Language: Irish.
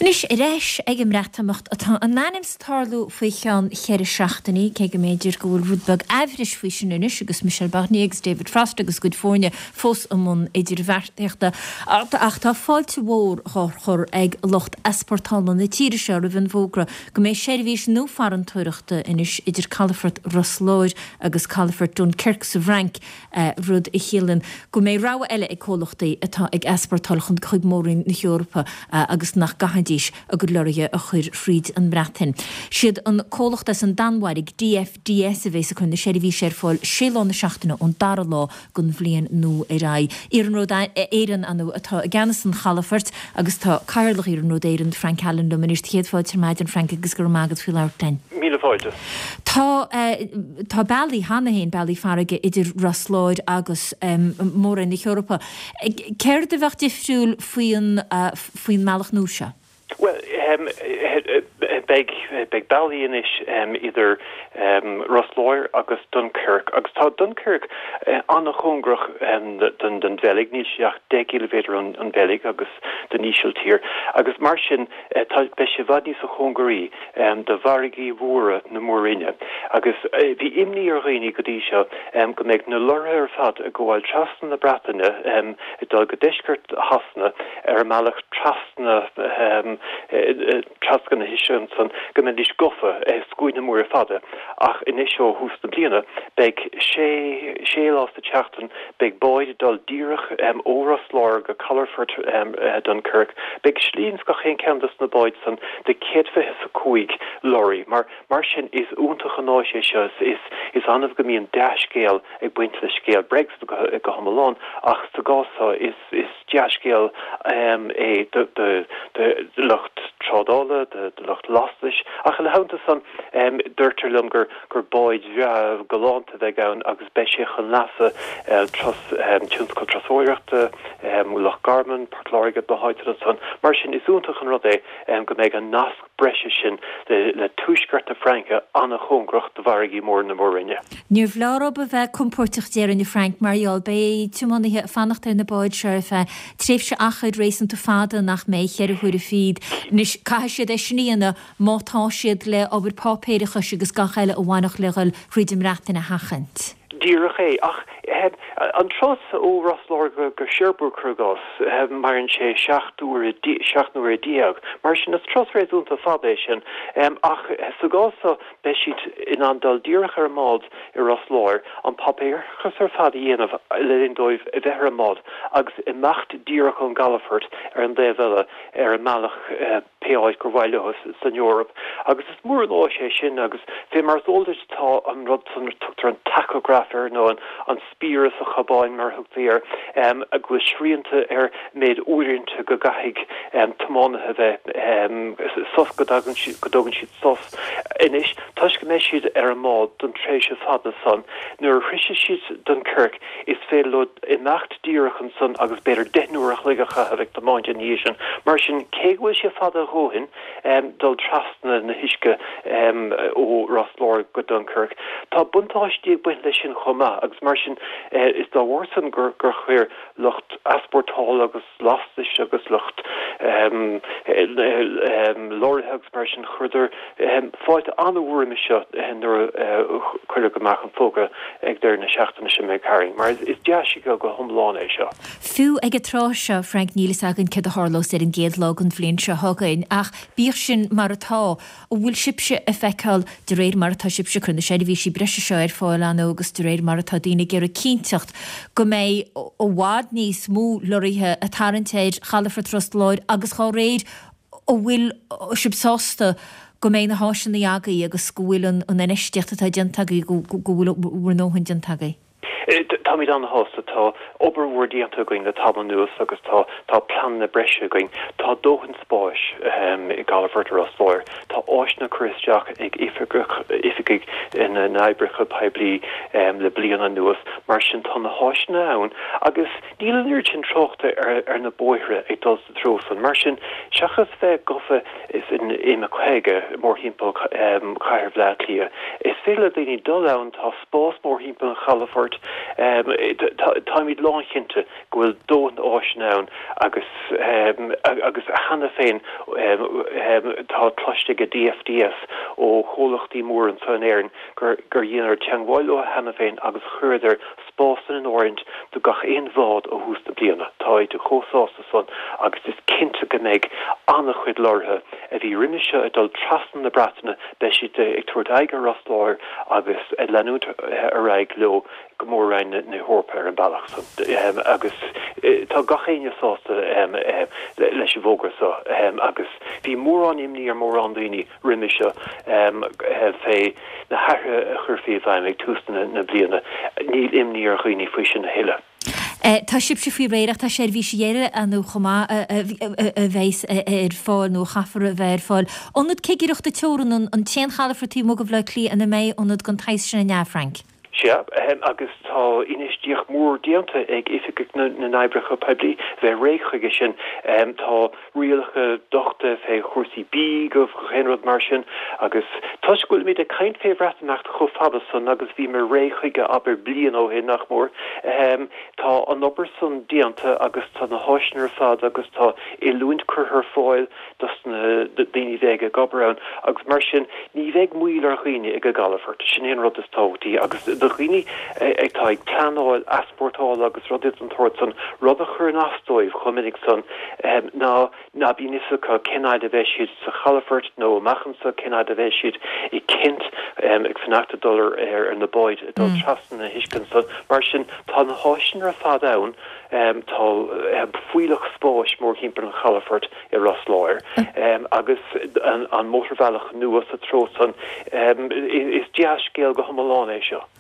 Anois ar ais ag an mBreatimeacht atá in ainm 's tarlú faoi cheann cheithre seachtainí, cé go mb'fhéidir go bhfuil rud beag aimhris faoi sin anois agus Michel Barnier agus David Frost agus a gcuid foirne fós i mbun idirbheartaíochta. Ach tá fáilte mhór dhá chur ag lucht easpórtála na tíre seo roimh an bhfógra go mbeidh seirbhís nua farantóireachta anois idir calafort Ros Láir agus calafort Dunkirk sa bhFrainc rud a chiallaíonn go mbeidh rogha eile ag comhlachtaí atá ag easpórtáil chun chuig Mór-Roinn na hEorpa agus nach gcaithfidís a gcuid lorraithe a chur thríd an mBreatain. Siad an comhlacht as an Danmhairg, DFDS, a bhéas ag cur na seirbhíse ar fáil sé lá na seachtaine ón dara lá den bhliain nua ar aghaidh. Iarnród Éireann, ar ndóigh, atá i gceannas an chalafoirt agus tá Cathaoirleach Iarnród Éireann, Frank Allen liom anois. Céad fáilte ar maidin, Frank, agus go raibh maith agat faoi labhairt linn. Míle fáilte. Tá, tá bealaí cheana féin, bealaí farraige idir Ros Láir agus Mór-Roinn na hEorpa. Céard a bheadh difriúil faoin, faoin mbealach nua seo? Bhuel, beidh, beidh bealaí anois idir Ros Láir agus Dunkirk agus tá Dunkirk an-chóngarach don, don Bheilg, níl sé ach 10 gciliméadar ón Bheilg agus don Ísiltír agus mar sin tá, beidh sé i bhfad níosa chóngaraí do mhargaí mhóra na Mór-Roinne agus bhí imní ar dhaoine go dtí seo go mbeidh na lorraithe ar fad ag gabháil trasna na Breataine ag dul go deisceart Shasana ar a mbealach trasna trasna na huisce ansan go mbeidís gafa i scuaine móra fada ach anois ó thús na bliana beidh sé sé lá sa tseachtain Beidh báid ag dul díreach ó Ros Láir go calafort Dunkirk. Beidh slí ins gach aon ceann dos na báid san do 125 lorry. Mar mar sin is iontach an áis é seo. Is is annamh go mbíonn dea-scéal ag baint le scéal Brexit go go hiomlán ach sa gcás seo is is dea-scéal é do do do lucht trádála, do do lucht lastais ach ina theannta san deirtear liom gur gur báid bhreá galánta a bheidh ann agus beidh sé chun leasa tionscal turasóireachta, Loch Garman, Port Láirge, na háiteanna san. Mar sin, is iontach an rud é go mbeidh an nasc breise sin le tuaisceart na Fraince an-chóngarach do mhargaí móra na Mór-Roinne. Níor bhreá orthu a bheith compóirteach déarfainn a Frank mar gheall beidh tiománaithe ag fanacht ar na báid seo ar feadh tréimhse achair réasúnta fada nach mbeidh, cheithre huaire fichead. Anois caithfidh siad é sin a dhéanamh má tá siad le obair páipéarachais agus gach eile a bhainfeadh le dhul thríd an mBreatain a sheachaint. Díreach é. Ach an turas ó Ros Láir go Cherbourg, cuir i gcás, maireann sé 17 n-uaire. Mar sin, is turas réasúnta fada é sin. Ach sa gcás seo, beidh siad in ann dul díreach ar an mbád i Ros Láir, an páipéarachas ar fad a dhéanamh le linn dóibh a bheith ar an mbád agus imeacht díreach ón gcalafort ar an dtaobh eile ar a mbealach pé áit gur mhaith leo san Eoraip. Agus is mór an áis é sin agus fé mar is eol duit tá an rud san, tugtar an tachograph air nó an spiaire sa chabáin mar a thugtaí air, go bhfuil srianta ar méid uaireanta go gcaithfidh tiománaithe bheith sos, go dtagann siad, go dtógann siad sos. Anois, toisc go mbeidh siad ar an mbád don tréimhse fada san, nuair a shroisfidh siad Dunkirk is féidir leo imeacht díreach ansan agus b'fhéidir 10 n-uair a chloig a chaitheamh ag tiomáint ina dhiaidh sin. Mar sin, cé go bhfuil sé fada a dhóthain dul trasna na huisce ó Ros Láir go Dunkirk, tá buntáistí ag baint leis sin chomh maith agus mar sin is dá bharr san gur chuir lucht easpórtála agus lastais agus lucht lorraithe agus mar sin, chuireadar fáilte an-mhór roimis seo nuair a cuireadh amach an fógra ag deireadh na seachtaine seo imigh tharainn, mar is dea-scéal go hiomlán é seo. Fiú ag an tráth seo, Frank, níl fhios againn céard a tharlós ar an gcéad lá den bhliain seo chugainn, ach bíodh sin mar atá, An bhfuil sibhse ag feiceáil, de réir mar atá sibhse ag cur na seirbhísí breise seo ar fáil, ar ndóigh, agus de réir mar atá daoine ag iarraidh cinnteacht go mbeidh i bhfad níos mó lorraithe ag tarraingt ar chalafort Ros Láir agus dhá réir, an bhfuil sibh sásta go mbeidh na háiseanna agaibh agus go bhfuil an infheistíocht atá déanta agaibh, go bhfuil bhur ndóthain déanta agaibh? Táimid an-shásta. Tá obair mhór déanta againn le tamall anuas agus tá tá pleananna breise againn. Tá dóthain spáis i gcalafort Ros Láir. Tá áiseanna curtha isteach ag oifigigh na n-oibreacha poiblí le bliain anuas. Mar sin tá na háiseanna ann agus níl an oiread sin tráchta ar na bóithre ag dul sa treo san. Mar sin, seachas bheith gafa san M50 mórthimpeall chathair Bhaile Átha Cliath, is féidir le daoine dul ann, tá spás mórthimpeall an chalafoirt, táimid lánchinnte go bhfuil dóthain áiseanna ann agus agus cheana féin. Tá cloiste ag DFDS ó chomhlachtaí móra anseo in Éirinn gur dheineadar teagmháil leo cheana féin agus chuireadar spásanna in áirithint do gach aon bhád ó thús na bliana. Táid chomh sásta san agus is cinnte go mbeidh an-chuid lorraithe a bhí roimhe seo ag dul trasna na Breataine, beidh siad ag tabhairt aghaidh ar Ros Láir agus ag leanúint ar aghaidh leo go Mór-Roinn na hEorpa ar an bealach san agus tá gach éinne sásta leis an bhfógra seo agus bhí mórán imní ar mórán daoine roimhe seo fé na hathruithe a chuirfí i bhfeidhm ag tús na bliana. Níl imní ar dhaoine faoi sin a thuilleadh. Tá sibhse faoi réir ach tá seirbhísí eile ann chomh maith a bheas ar fáil nó a chaithfear a bheith ar fáil. Ionad cigireachta teorann an t-aon chalafort taobh amuigh de Bhaile Átha Cliath ina mbeidh ionad den tsaghas sin an ea, Frank? Sea, agus tá infheistíocht mhór déanta ag Oifigigh na nOibreacha Poiblí bheith réidh chuige sin. Tá rialacha dochta fé chúrsaí bídh agus gach aon rud mar sin agus toisc go bhfuilimid ag caint fé Bhreatimeacht chomh fada san agus bhíomar réidh chuige abair bliain ó shin nach mór, tá an obair san déanta agus tá na háiseanna ar fad agus tá oiliúint curtha ar fáil dos na daoine a bheidh ag obair ann agus mar sin ní bheidh moill ar dhaoine ag an gcalafort. Sin é an rud is tábhachtaí agus do dhaoine atá ag pleanáil easpórtála agus rudaí den tsórt san, rud a chuireann as dóibh chomh minic san ná ná bíonn fhios acu cén fhaid a bheidh siad sa chalafort nó amach anso cén fhaid a bheidh siad i Kent ag fanacht ag dul ar na báid ag dul trasna na huisce ansan. Mar sin tá na háiseanna ar fad ann. Tá fuílleach spáis mórthimpeall an chalafoirt i Ros Láir agus an mótarbhealach nua sa treo san. Is dea-scéal go hiomlán é seo.